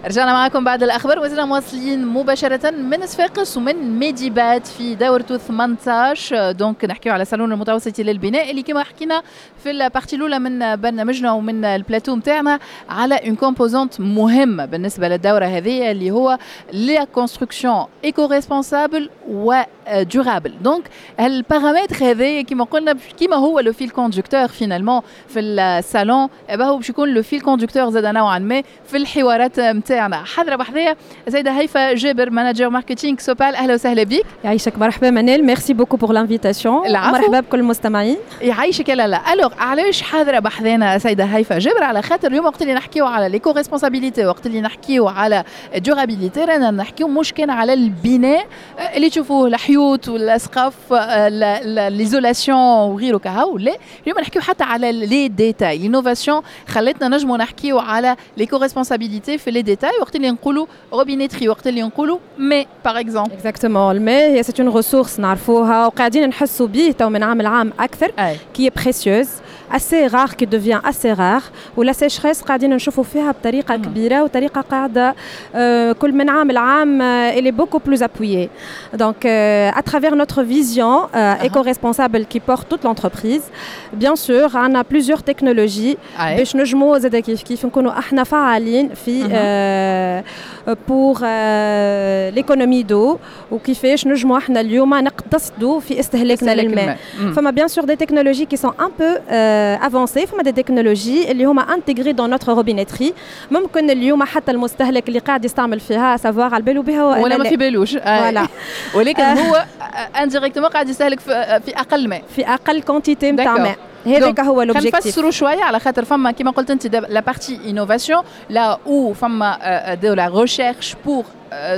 رجعنا معكم بعد الاخبار وزلنا مواصلين مباشرة من صفاقس ومن Medibat في دورته 18. donc نحكيو على صالون المتوسط للبناء اللي كما حكينا في ال partie الاولى من برنامجنا ومن البلاتو نتاعنا على une composante مهمة بالنسبة للدورة هذه، اللي هو la construction éco-responsable و durable. donc ال paramètre هذا كما قلنا، كما هو le fil conducteur finalement في الصالون، هو باش يكون le fil conducteur زاد نوعا ما في الحوارات نتاعنا. حاضره بحذايا السيدة هيفا جابر، manager marketing Sopal. اهلا وسهلا بك. يعيشك، مرحبا منال، merci beaucoup pour l'invitation. مرحبا بكل المستمعين. يعيشك. لا لا، alors علاش حاضره بحذانا سيده هيفا جابر؟ على خاطر اليوم وقت اللي نحكيو على l'éco-responsabilité، وقت اللي نحكيو على durabilité، رانا نحكيو مش كان على البناء اللي تشوفوه، الحيوط والاسقاف، l'isolation وغيره كهو. لا، اليوم نحكيو حتى على les détails. l'innovation خلتنا نجمو نحكيو على l'éco-responsabilité في les détails، وقت اللي نقولوا robinetterie، وقت اللي نقولوا ماء par exemple. exactement، الماء هي c'est une ressource نعرفوها وقاعدين نحسوا به تو من عام لعام اكثر، qui est précieuse، assez rare، qui devient assez rare، و la sécheresse قاعدين نشوفوا فيها بطريقة كبيرة وطريقه قاعدة كل من عام لعام elle est beaucoup plus appuyée. donc à travers notre vision éco-responsable qui porte toute l'entreprise، bien sûr on a plusieurs technologies باش نجموا زاد كيف كيف نكونوا احنا فعالين في pour l'économie d'eau، وكيفاش نجموا احنا اليوم نقتصدوا في استهلاكنا للماء. فما bien sûr des technologies qui sont un peu avancées، فما des technologies اللي هما intégrées dans notre robinetterie، ممكن اليوم حتى المستهلك اللي قاعد يستعمل فيها savoir على بالو بها. ولا ما في بالوش. voilà. ولكن هو indirectement قاعد يستهلك في اقل ماء. في اقل quantité نتاع ماء، هذاك هو l'objectif. نفسروا شويه، على خاطر فما كيما قلت انت la partie innovation، là où فما de la recherche pour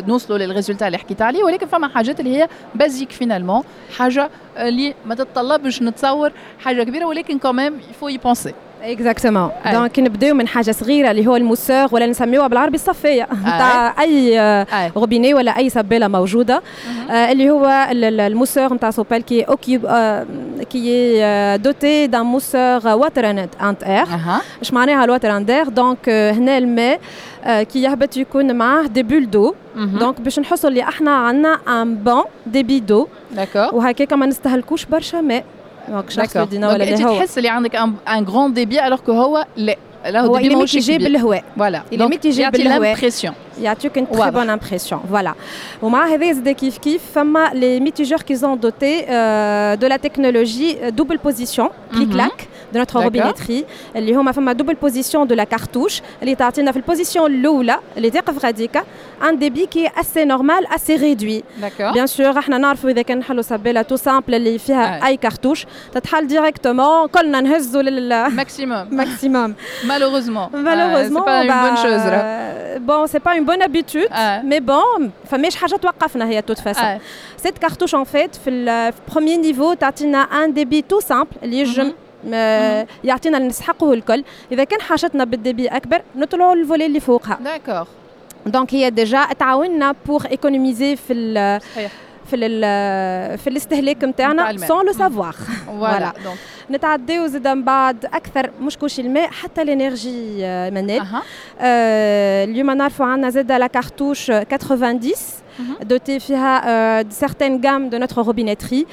نوصلوا لل résultat اللي حكيت عليه، ولكن فما حاجات اللي هي basiques finalement، حاجة اللي ما تتطلبش نتصور حاجة كبيره، ولكن quand même il faut y penser. exactement، donc نبداو من حاجة صغيرة اللي هو ال mousseur، ولا نسميوها بالعربي الصفية نتاع اي روبيني ولا اي سباله موجوده، اللي هو ال mousseur نتاع Sopal qui est doté d'un mousseur water and air. اش معناها ال water and air؟ donc هنا الماء كي يهبط يكون معاه des bulles d'eau، donc باش نحسوا اللي احنا عندنا un bon débit d'eau، وهكاك ما نستهلكوش برشا ماء. donc شخص ولا انت تحس اللي عندك un grand débit alors que هو لا. لا، هو il est mitigé بالهواء. voilà. il est mitigé بالهواء. l'impression. يعطيك une très bonne impression، voilà. ومع هذا زاد كيف كيف فما les mitigeurs qui sont dotés de la technologie double position clic-clac de notre robinetterie، اللي هما فما double position de la cartouche اللي تعطينا في ال position الاولى اللي تقف غاديكا un débit qui est assez normal، assez réduit. bien sûr احنا نعرفوا اذا كان نحلوا سباله tout simple اللي فيها اي كارتوش تتحل directement، كلنا نهزوا لل maximum. maximum. malheureusement. malheureusement. c'est pas une bonne chose. bon، c'est pas une bonne habitude، mais bon فماش حاجة توقفنا هي toute façon. cette cartouche en fait في ال premier niveau تعطينا un débit tout simple اللي يجم يعطينا اللي نسحقه الكل. اذا كان حاجتنا بال débit اكبر نطلعوا ال volet اللي فوقها. Donc هي déjà تعاوننا pour économiser في الاستهلاك نتاعنا sans le savoir. voilà. نتعداو زاد من بعد اكثر، مش كلشي الماء، حتى l'énergie منال. اليوم نعرفوا عندنا زاد la cartouche 90 dotée فيها certaines gammes de notre robinetterie.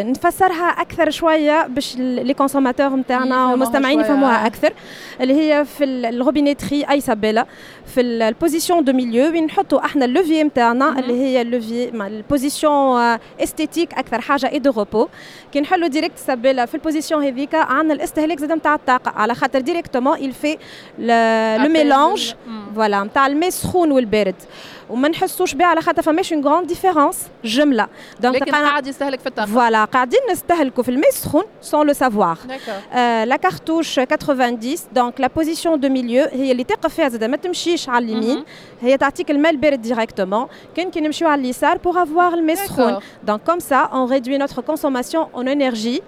نفسرها اكثر شوية باش les consommateurs نتاعنا والمستمعين يفهموها اكثر، اللي هي في ال robinetterie اي سباله في ال position de milieu وين نحطوا احنا ال levier نتاعنا، اللي هي ال levier ال position esthétique اكثر حاجة et de repos، كي نحلوا direct السباله في ال position هذيك عندنا الاستهلاك زاد نتاع الطاقه، على خاطر directement il fait le mélange، voilà، نتاع الماء السخون والبارد، وما نحسوش بها على خاطر فماش une grande différence جمله. donc لكن قاعد يستهلك في الطاقه. voilà، قاعدين نستهلكوا في الماء السخون sans le savoir. la cartouche 90، donc la position de milieu هي اللي تقف فيها زاد ما تمشيش على اليمين، هي تعطيك الماء البارد directement، كان كي نمشيو على اليسار pour avoir الماء السخون. donc comme ça on réduit notre consommation en énergie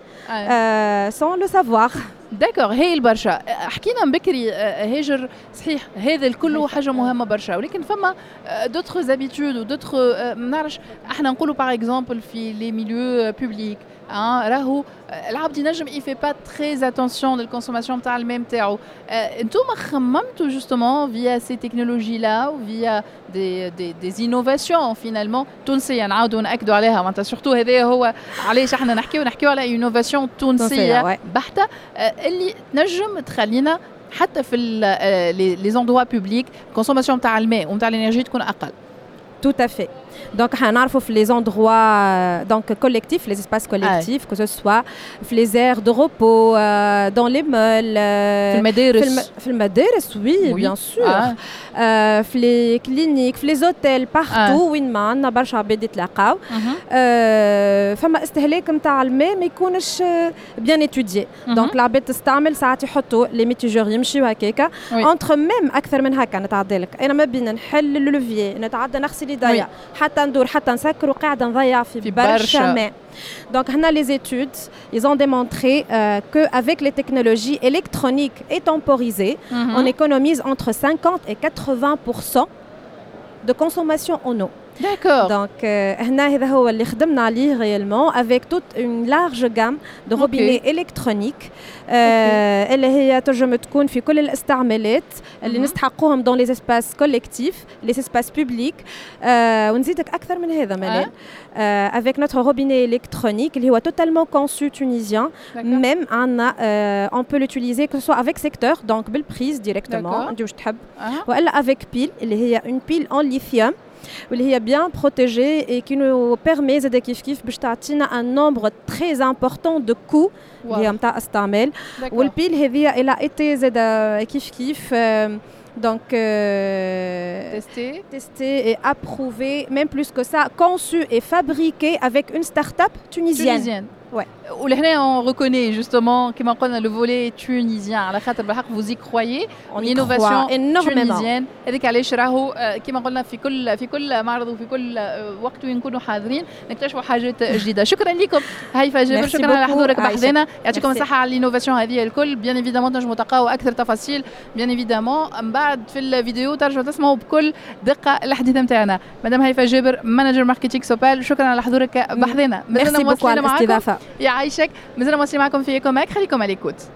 sans le savoir. d'accord، هايل برشا. حكينا من بكري هاجر، صحيح هذا الكل حاجة مهمة برشا، ولكن فما d'autres habitudes و d'autres، ما نعرفش، احنا نقولوا par exemple في les milieux publics. راهو العبد ينجم il fait pas très attention لل consommation نتاع الماء نتاعو. انتم خممتوا justement via ces technologies-là و via des innovations finalement تونسيه، نعاودوا ناكدوا عليها، معناتها surtout هذا هو علاش احنا نحكيو على innovation تونسية بحته اللي تنجم تخلينا حتى في les endroits publics consommation تاع الماء ونتاع l'énergie تكون اقل. Tout à fait. Donc, on a les endroits donc, collectifs, les espaces collectifs, que ce soit les aires de repos, dans les malls. في المدارس. في المدارس, oui, bien sûr. في les cliniques, في les hôtels, partout وين ما عندنا برشا عباد يتلاقاو. فما استهلاك نتاع الماء ما يكونش bien étudié. Donc العباد تستعمل، ساعات يحطوا les mitigeurs يمشيو هكاكا. Entre même اكثر من هكا نتعدى لك، انا ما بين نحل ال levier، نتعدى نغسل يديا، حتى ندور، حتى نسكر، وقاعدة نضيع في برشا ماء. Donc, les études, ils ont démontré qu'avec les technologies électroniques et temporisées, on économise entre 50 et 80% de consommation en eau. Donc, هنا هذا هو اللي خدمنا عليه réellement avec toute une large gamme de robinets électroniques اللي هي تنجم تكون في كل الاستعمالات اللي نستحقوهم dans les espaces collectifs, les espaces publics. ونزيدك أكثر من هذا منال، avec notre robinet électronique اللي هو totalement conçu tunisien, même عندنا on peut l'utiliser que ce soit avec secteur, donc بال prise directement انت واش تحب، والا avec pile اللي هي une pile en lithium واللي هي bien protégée et qui nous permet زاد كيف كيف باش تعطينا un nombre très important de coups اللي هي نتاع استعمال. وال pile هذه elle a été زاد كيف كيف donc testé, testé et approuvé, même plus que ça, conçu et fabriqué avec une start-up tunisienne. Tunisienne. Ouais. ولهنا on reconnaît justement كما قلنا le volet tunisien، على خاطر بالحق vous y croyez. On y l'innovation croit énormément. tunisienne هذيك علاش راهو كما قلنا في كل معرض وفي كل وقت وين نكونوا حاضرين نكتشفوا حاجات جديده. شكرا لكم هيفا جابر، شكرا على حضورك بحذنا، يعطيكم الصحة على l'innovation هذه الكل. Bien évidemment تنجموا تلقاو اكثر تفاصيل bien évidemment من بعد في الفيديو، ترجعوا تسمعوا بكل دقه الحديث نتاعنا. مدام هيفا جابر، manager marketing Sopal، شكرا على حضورك بحذنا. Merci beaucoup على الاستضافه. يعيشك. مازلنا مواصلين معكم في Ecomag، خليكم على l'écoute.